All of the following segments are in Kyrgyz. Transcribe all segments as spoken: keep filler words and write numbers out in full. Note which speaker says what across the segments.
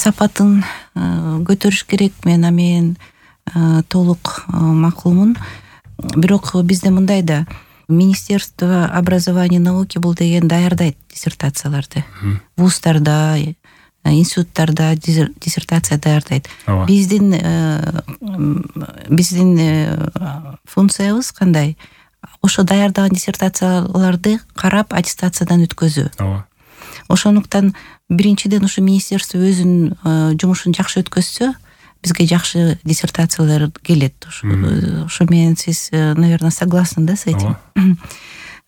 Speaker 1: сапатын көтөрүш керек. Мен амен толук макулмун. Бирок бизде мындай да, Министерство образования и науки бул деген даярдайт диссертацияларды. Вуздарда, институттарда диссертация даярдайт. Биздин биздин функциябыз кандай? Ошо даярдаган диссертацияларды карап аттестациядан өткөзүү. Ошондуктан биринчиден ушу министерство өзүнүн жумушун жакшы өткөзсө, бизге жакшы диссертациялар келет. Ошо менен сиз, наверное, согласны да с этим.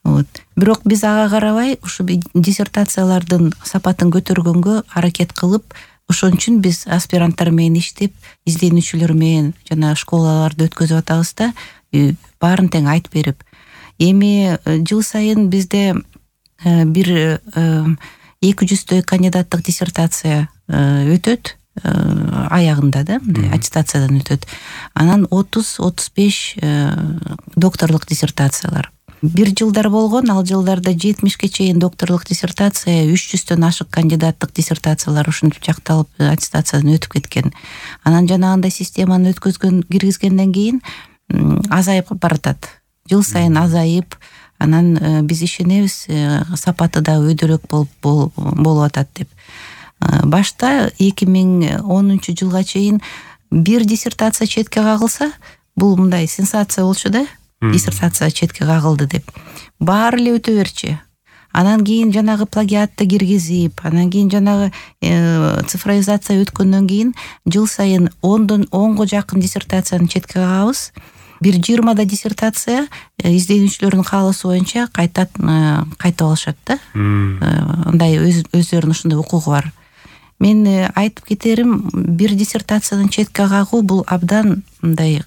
Speaker 1: Вот. Бирок биз ага карабай, ушу диссертациялардын сапатын көтөргөнгө аракет кылып, ошон үчүн биз аспиранттар менен иштеп, изденүүчүлөр менен жана школаларды өткөзүп атабыз да, баарын тең айтып берип. Эми жыл сайын бизде бир эки жүздөй кандидаттык диссертация өтөт, аягында да, аттестациядан өтөт. Анан отуз отуз беш докторлук диссертациялар. Бир жылдар болгон, ал жылдарда жетимишке чейин докторлук диссертация, үч жүздөн ашык кандидаттык диссертациялар ушинтип жакталып аттестациядан өтүп кеткен. Анан жанагындай системаны өткөзгөн, киргизгенден кийин азайып баратат. Жыл сайын азайып, анан биз ишенебиз, сапаты да өйдөрөөк болуп болуп атат деп. Башта эки миң онунчу жылга чейин бир диссертация четке кагылса, бул мындай сенсация болчу да, диссертация четке кагылды деп. Баары эле өтө берчи. Анан кийин жанагы плагиатты киргизип, анан кийин жанагы цифровизация өткөндөн кийин жыл сайын ондон онго жакын диссертацияны четке кагабыз. Бир жыйырмада диссертация изденүүчүлөрдүн каалоосу боюнча кайтат кайтып алышат да. Андай өздөрүнүн ушундай укугу бар. Мен айтып кетерим, бир диссертацияны четке кагуу бул абдан мындай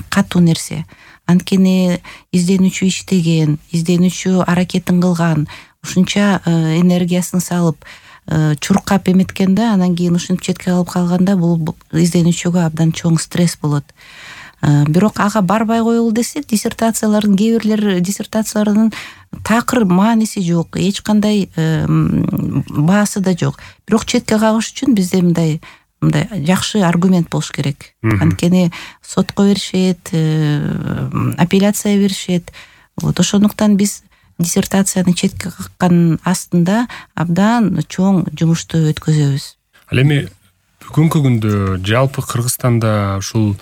Speaker 1: катуу нерсе. Анткени изденүүчү иштеген, изденүүчү аракетин кылган, ушунча энергиясын салып, чуркап эметкен да, анан кийин ушинтип четке калып калганда бул изденүүчүгө абдан чоң стресс болот. Бирок ага барбай коелу десек, диссертациялардын кээ бирлер диссертацияларынын такыр мааниси жок, эч кандай баасы да жок. Бирок четке кагыш үчүн бизде мындай мындай жакшы аргумент болуш керек. Анткени сотко беришет, апелляция беришет. Вот ошондуктан биз диссертацияны четке каккан астында абдан чоң жумушту өткөзөбүз.
Speaker 2: Ал эми бүгүнкү күндө жалпы Кыргызстанда ушул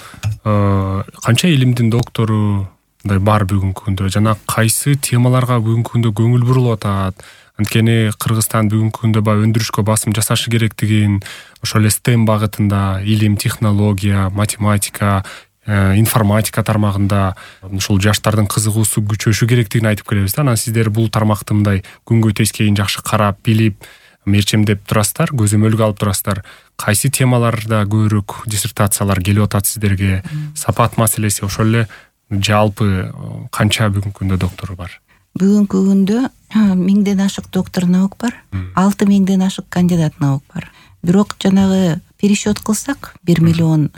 Speaker 2: канча илимдин доктору мындай бар бүгүнкү күндө, жана кайсы темаларга бүгүнкү күндө көңүл бурулуп атат? Анткени Кыргызстан бүгүнкү күндө баягы өндүрүшкө басым жасашы керектигин, ошол эле STEM багытында, илим, технология, математика, информатика тармагында ушул жаштардын кызыгуусу күчөшү керектигин айтып келебиз да. Анан сиздер бул тармакты мындай күнгөй тескейин жакшы карап, билип, мерчемдеп турасыздар, көзөмөлгө алып турасыздар. Кайсы темаларда көбүрөөк диссертациялар келип атат сиздерге? Сапат маселеси, ошол эле жалпы канча бүгүнкү күндө доктор бар?
Speaker 1: Бүгүнкү күндө миңден ашык доктор наук бар, алты миңден ашык кандидат наук бар. Бирок жанагы пересчет кылсак, бир миллион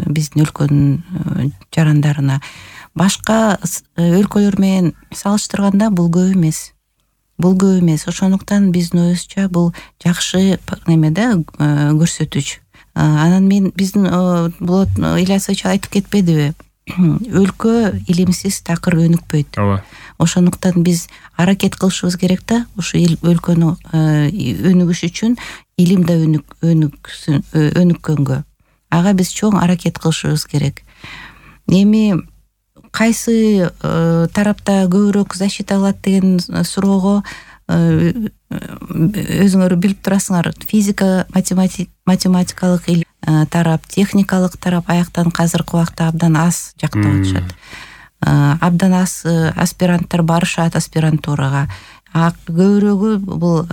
Speaker 1: биздин өлкөнүн жарандарына, башка өлкөлөр менен салыштырганда бул көп эмес. Бул көп эмес. Ошондуктан биздин оюбузча бул жакшы неме да, көрсөтүч. Анан мен биздин Болот Ильясович айтып кетпедиби? Өлкө илимсиз такыр өнүкпөйт. Ошондуктан биз аракет кылышыбыз керек да, ушу өлкөнү өнүгүш үчүн илим да өнүксүн, өнүккөнгө. Ага биз чоң аракет кылышыбыз керек. Эми кайсы тарапта көбүрөөк защита кылат деген суроого өзүңөр билип турасыңар. Физика, математикалык тарап, техникалык тарап аяктан казыркы убакта абдан аз жактап атышат. Абдан аз аспиранттар барышат аспирантурага. Көбүрөөгү бул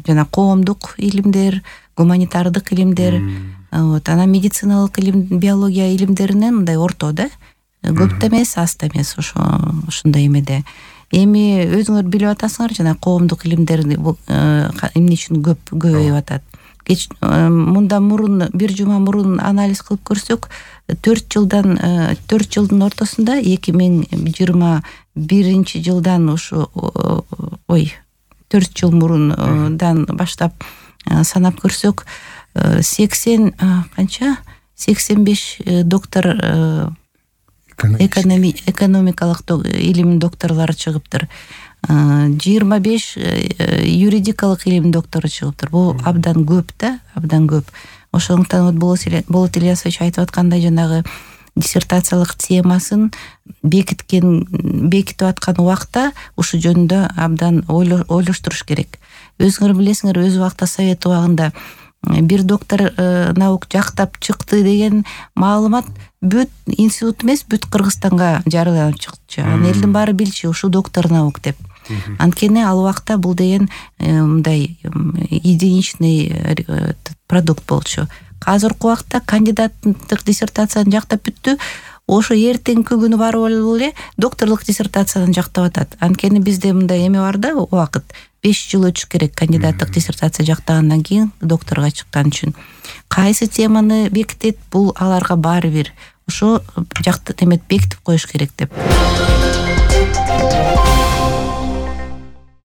Speaker 1: жана коомдук илимдер, гуманитардык илимдер, вот, анан медициналык илим, биология илимдеринен мындай орто да. Көп да эмес, аз да эмес, ошо ушундай эмеде. Эми өзүңөр билип атасыңар, жана коомдук илимдер эмне үчүн көп көбөйүп атат. Мындан мурун, бир жума мурун анализ кылып көрсөк, төрт жылдан төрт жылдын ортосунда эки миң жыйырма биринчи жылдан ушу ой төрт жыл мурундан баштап санап көрсөк, сексен канча сексен беш доктор экономикалык илим докторлору чыгыптыр, жыйырма беш юридикалык илим доктору чыгыптыр. Бул абдан көп да, абдан көп. Ошондуктан вот Болот Ильясович айтып аткандай, жанагы диссертациялык темасын бекиткен бекитип аткан убакта ушул жөнүндө абдан ойлоштуруш керек. Өзүңөр билесиңер, өз убакта совет убагында бир доктор наук жактап чыкты деген маалымат бүт институт эмес, бүт Кыргызстанга жарыяланып чыкчу. Анан элдин баары билчү, ушул доктор наук деп. Анткени ал убакта бул деген мындай единичный продукт болчу. Азыркы убакта кандидаттык диссертацияны жактап бүттү, ошо эртеңки күнү барып эле докторлук диссертацияны жактап атат. Анткени бизде мындай эме бар да, убакыт беш жыл өтүш керек кандидаттык диссертация жактагандан кийин докторго чыккан үчүн. Кайсы теманы бекитет, бул аларга баары бир. Ошо жакты эмет бекитип коюш керек деп.